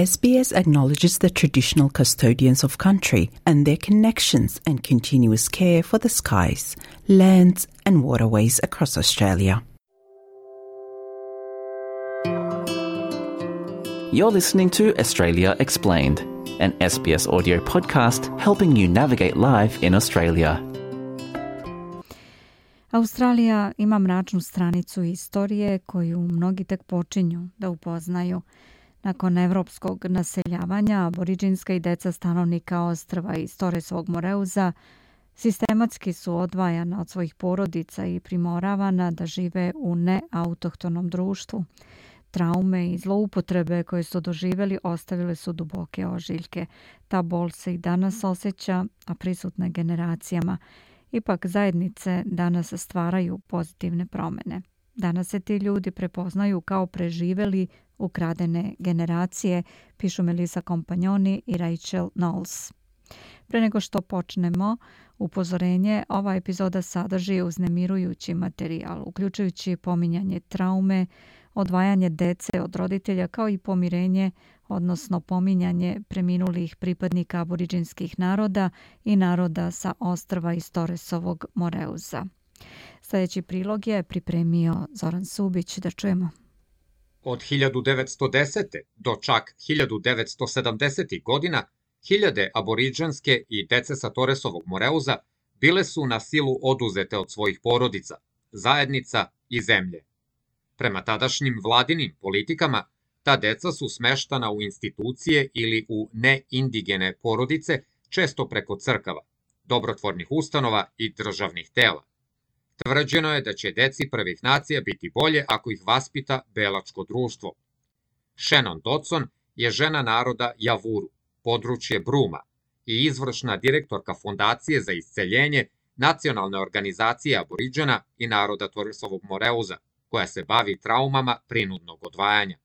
SBS acknowledges the traditional custodians of country and their connections and continuous care for the skies, lands and waterways across Australia. You're listening to Australia Explained, an SBS audio podcast helping you navigate life in Australia. Australija ima mračnu stranicu istorije koju mnogi tek počinju da upoznaju. Nakon evropskog naseljavanja, aboriđinska i deca stanovnika ostrva iz Torresovog Moreuza sistematski su odvajana od svojih porodica i primoravana da žive u neautohtonom društvu. Traume i zloupotrebe koje su doživjeli ostavile su duboke ožiljke. Ta bol se i danas osjeća, a prisutna je generacijama. Ipak zajednice danas stvaraju pozitivne promjene. Danas se ti ljudi prepoznaju kao preživjeli ukradene generacije, pišu Melissa Compagnoni i Rachel Knowles. Pre nego što počnemo, upozorenje, ova epizoda sadrži uznemirujući materijal, uključujući pominjanje traume, odvajanje dece od roditelja kao i pomirenje, odnosno pominjanje preminulih pripadnika aboriđinskih naroda i naroda sa ostrva iz Torresovog Moreuza. Sljedeći prilog je pripremio Zoran Subić, da čujemo. Od 1910. do čak 1970. godina hiljade aboriđanske i dece sa Torresovog Moreuza bile su na silu oduzete od svojih porodica, zajednica i zemlje. Prema tadašnjim vladinim politikama, ta deca su smeštana u institucije ili u neindigene porodice, često preko crkava, dobrotvornih ustanova i državnih tela. Tvrđeno je da će deci prvih nacija biti bolje ako ih vaspita belačko društvo. Shannon Dodson je žena naroda Javuru, područje Bruma, i izvršna direktorka Fondacije za isceljenje Nacionalne organizacije aboriđana i naroda Torresovog Moreuza, koja se bavi traumama prinudnog odvajanja.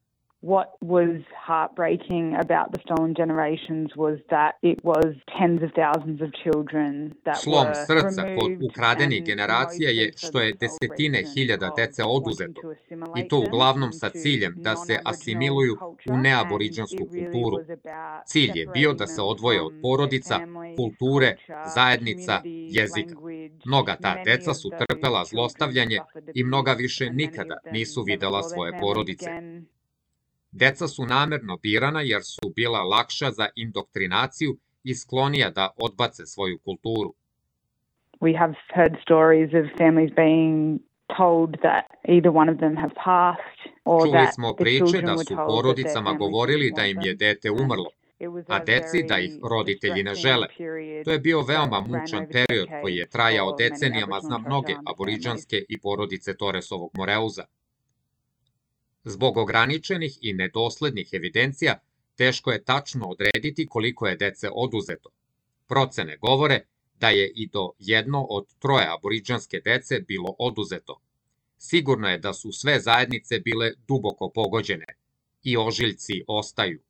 What was heartbreaking about the stolen generations was that it was tens of thousands of children that Slom were srca kod removed ukradenih and generacija je demoted što je for the sole desetine reason hiljada of dece wanting oduzeto, to assimilate i to them uglavnom sa into ciljem da se non-Aboriginal asimiluju u culture, neaboriđansku and it really kulturu. was about Cilj je bio da se separating odvoje them od from porodica, their families, kulture, culture, zajednica, community, jezika. language. Mnoga ta Many deca of su those trpela children zlostavljanje suffered i mnoga abuse, više and many nikada of them nisu never videla saw their svoje families porodice. again. Deca su namerno birana jer su bila lakša za indoktrinaciju i sklonija da odbace svoju kulturu. We have heard stories of families being told that either one of them have passed or Čuli that smo the priče children da were su told that their porodicama families govorili didn't da want im je them. dete umrlo, It was a a deci da ih very roditelji ne distressing žele. period To je bio veoma that ran mučan over period koji je decades trajao for many decenijama Aboriginal za and Torres mnoge Islander aboriđanske i porodice Torresovog Moreuza. Zbog ograničenih i nedoslednih evidencija, teško je tačno odrediti koliko je dece oduzeto. Procene govore da je i do 1 od 3 aboriđanske dece bilo oduzeto. Sigurno je da su sve zajednice bile duboko pogođene i ožiljci ostaju.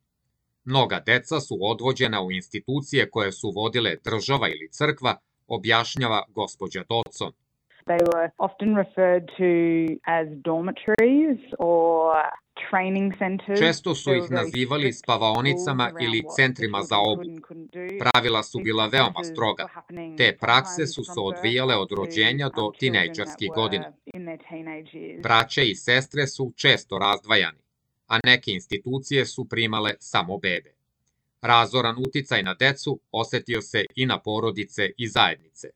Mnoga deca su odvođena u institucije koje su vodile država ili crkva, objašnjava gospođa Dodson. They were often referred to as dormitories or training centers. Često su ih nazivali spavaonicama ili centrima za obuku. Pravila su bila veoma stroga. Te prakse su se odvijale od rođenja do tinejdžerskih godina. Braće i sestre su često razdvajani, a neke institucije su primale samo bebe. Razoran uticaj na decu osetio se i na porodice i zajednice.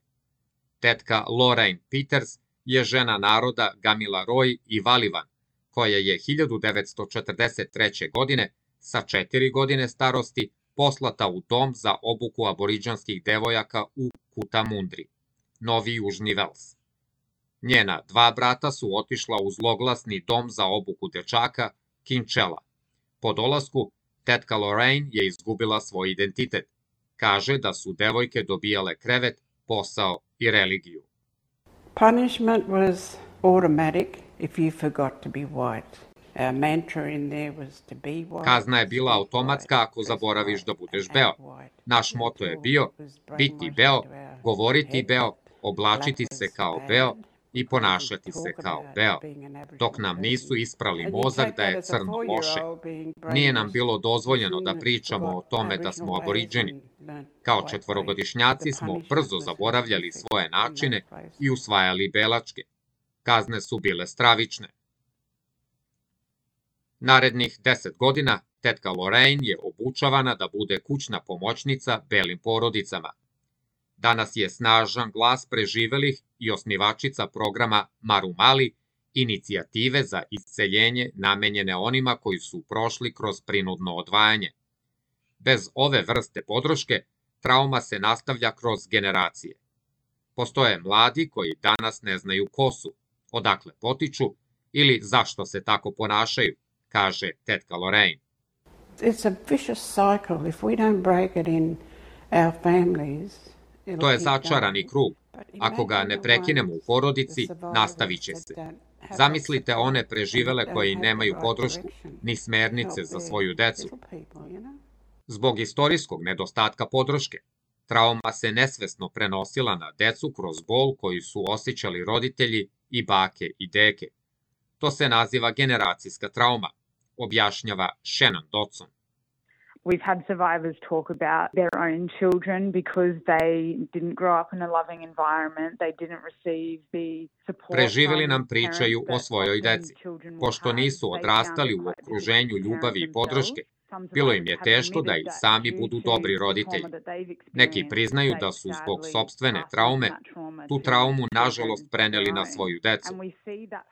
Tetka Lorraine Peters je žena naroda Gamilaroi i Valivan, koja je 1943. godine sa 4 godine starosti poslata u dom za obuku aboriđanskih devojaka u Kutamundri, Novi Južni Vels. Njena 2 brata su otišla u zloglasni dom za obuku dečaka Kinčela. Po dolasku, tetka Lorraine je izgubila svoj identitet. Kaže da su devojke dobijale krevet, posao i religiju. Punishment was automatic if you forgot to be white. Our mantra in there was to be white. Kazna je bila automatska ako zaboraviš da budeš beo. Naš moto je bio biti beo, govoriti beo, oblačiti se kao beo, i ponašati se kao beo, dok nam nisu isprali mozak da je crno loše. Nije nam bilo dozvoljeno da pričamo o tome da smo aboriđeni. Kao četvorogodišnjaci smo brzo zaboravljali svoje načine i usvajali belačke. Kazne su bile stravične. Narednih 10 godina tetka Lorraine je obučavana da bude kućna pomoćnica belim porodicama. Danas je snažan glas preživelih i osnivačica programa Marumali, inicijative za isceljenje namenjene onima koji su prošli kroz prinudno odvajanje. Bez ove vrste podrške, trauma se nastavlja kroz generacije. Postoje mladi koji danas ne znaju ko su, odakle potiču ili zašto se tako ponašaju, kaže tetka Lorraine. It's a vicious cycle. If we don't break it in our families, to je začarani krug. Ako ga ne prekinemo u porodici, nastavit će se. Zamislite one preživele koji nemaju podršku, ni smernice za svoju decu. Zbog istorijskog nedostatka podrške, trauma se nesvesno prenosila na decu kroz bol koji su osjećali roditelji i bake i deke. To se naziva generacijska trauma, objašnjava Shannon Dodson. We've had survivors talk about their own children because they didn't grow up in a loving environment, they didn't receive the support. Preživeli nam pričaju o svojoj deci. Pošto nisu odrastali u okruženju ljubavi i podrške, bilo im je teško da i sami budu dobri roditelji. Neki priznaju da su zbog sopstvene traume tu traumu nažalost preneli na svoju decu.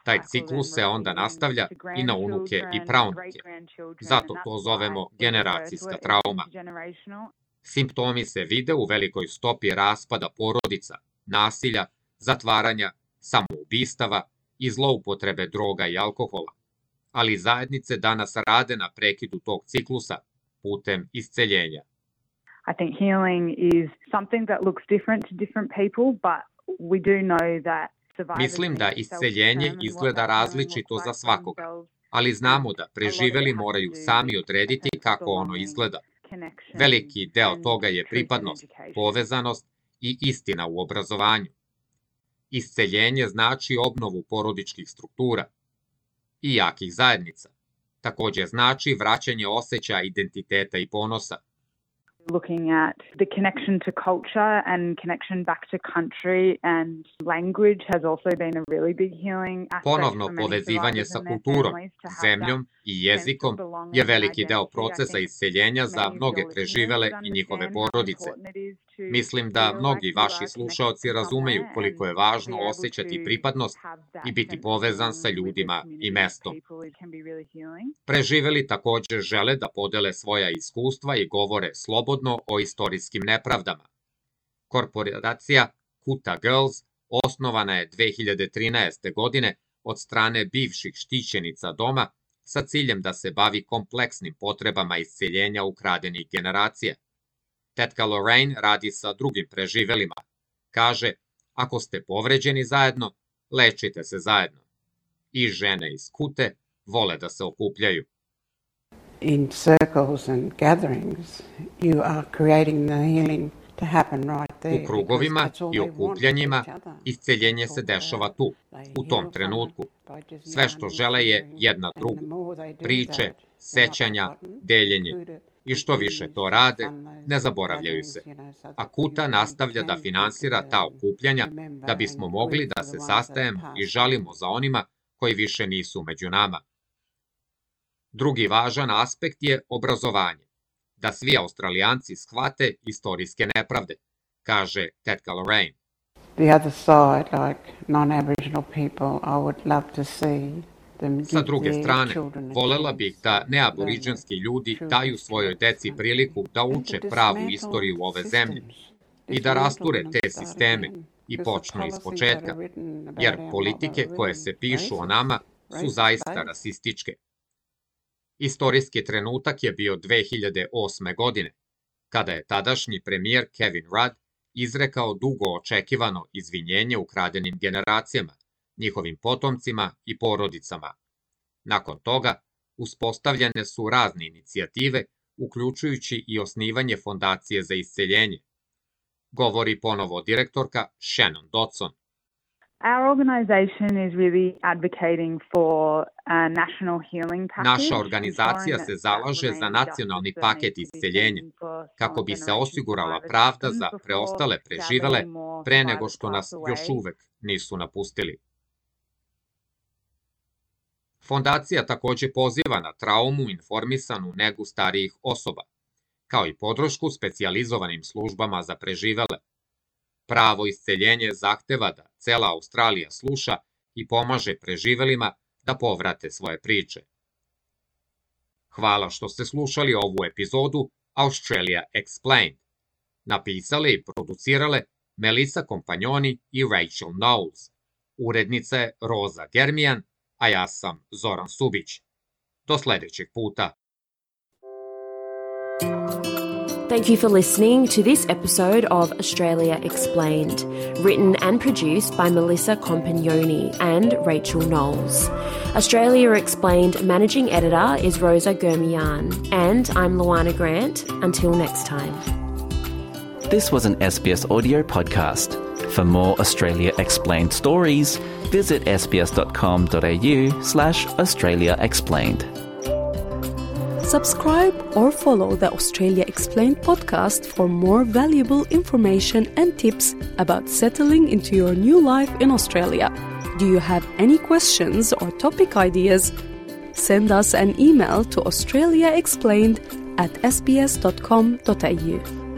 Taj ciklus se onda nastavlja i na unuke i praunuke. Zato to zovemo generacijska trauma. Simptomi se vide u velikoj stopi raspada porodica, nasilja, zatvaranja, samoubistava i zloupotrebe droga i alkohola. Ali zajednice danas rade na prekidu tog ciklusa putem isceljenja. I think healing is something that looks different to different people, but we do know that Mislim da isceljenje izgleda različito za svakoga, ali znamo da preživeli moraju sami odrediti kako ono izgleda. Veliki deo toga je pripadnost, povezanost i istina u obrazovanju. Isceljenje znači obnovu porodičkih struktura i jakih zajednica. Također znači vraćanje osjećaja identiteta i ponosa. Looking at the connection to culture and connection back to country and language has also been a really big healing aspect. Ponovno povezivanje sa kulturom, zemljom i jezikom je veliki deo procesa isceljenja za mnoge preživele i njihove porodice. Mislim da mnogi vaši slušaoci razumeju koliko je važno osjećati pripadnost i biti povezan sa ljudima i mestom. Preživeli također žele da podele svoja iskustva i govore slobodno o istorijskim nepravdama. Korporacija Kuta Girls osnovana je 2013. godine od strane bivših štićenica doma sa ciljem da se bavi kompleksnim potrebama isceljenja ukradenih generacija. Tetka Lorraine radi sa drugim preživelima. Kaže, ako ste povređeni zajedno, lečite se zajedno. I žene iz Kute vole da se okupljaju. In circles and gatherings, you are creating the healing to happen right there. U krugovima i okupljanjima isceljenje se dešava tu, u tom trenutku. Sve što žele je jedna drugu. Priče, sećanja, deljenje. I što više to rade, ne zaboravljaju se. A Kuta nastavlja da finansira ta okupljanja da bismo mogli da se sastajemo i žalimo za onima koji više nisu među nama. Drugi važan aspekt je obrazovanje. Da svi Australijanci shvate istorijske nepravde, kaže tetka Lorraine. The other side, like non-Aboriginal people, I would love to see. Sa druge strane, volela bih da neaboriđanski ljudi daju svojoj deci priliku da uče pravu istoriju ove zemlje i da rasture te sisteme i počnu iz početka, jer politike koje se pišu o nama su zaista rasističke. Istorijski trenutak je bio 2008. godine, kada je tadašnji premijer Kevin Rudd izrekao dugo očekivano izvinjenje ukradenim generacijama, njihovim potomcima i porodicama. Nakon toga, uspostavljene su razne inicijative, uključujući i osnivanje fondacije za isceljenje. Govori ponovo direktorka Shannon Dodson. Our organisation is really advocating for a national healing package. Naša organizacija se zalaže za nacionalni paket isceljenja kako bi se osigurala pravda za preostale preživele pre nego što nas još uvek nisu napustili. Fondacija takođe poziva na traumu informisanu negu starijih osoba, kao i podršku specijalizovanim službama za preživele. Pravo isceljenje zahteva da cela Australija sluša i pomaže preživelima da povrate svoje priče. Hvala što ste slušali ovu epizodu Australia Explained. Napisale i producirale Melissa Kompanjoni i Rachel Knowles. Urednica je Roza Germijan, a ja sam Zoran Subić. Do sledećeg puta. Thank you for listening to this episode of Australia Explained, written and produced by Melissa Compagnoni and Rachel Knowles. Australia Explained managing editor is Rosa Germian, and I'm Luana Grant. Until next time. This was an SBS audio podcast. For more Australia Explained stories, visit sbs.com.au/Australia Explained. Subscribe or follow the Australia Explained podcast for more valuable information and tips about settling into your new life in Australia. Do you have any questions or topic ideas? Send us an email to australiaexplained@sbs.com.au.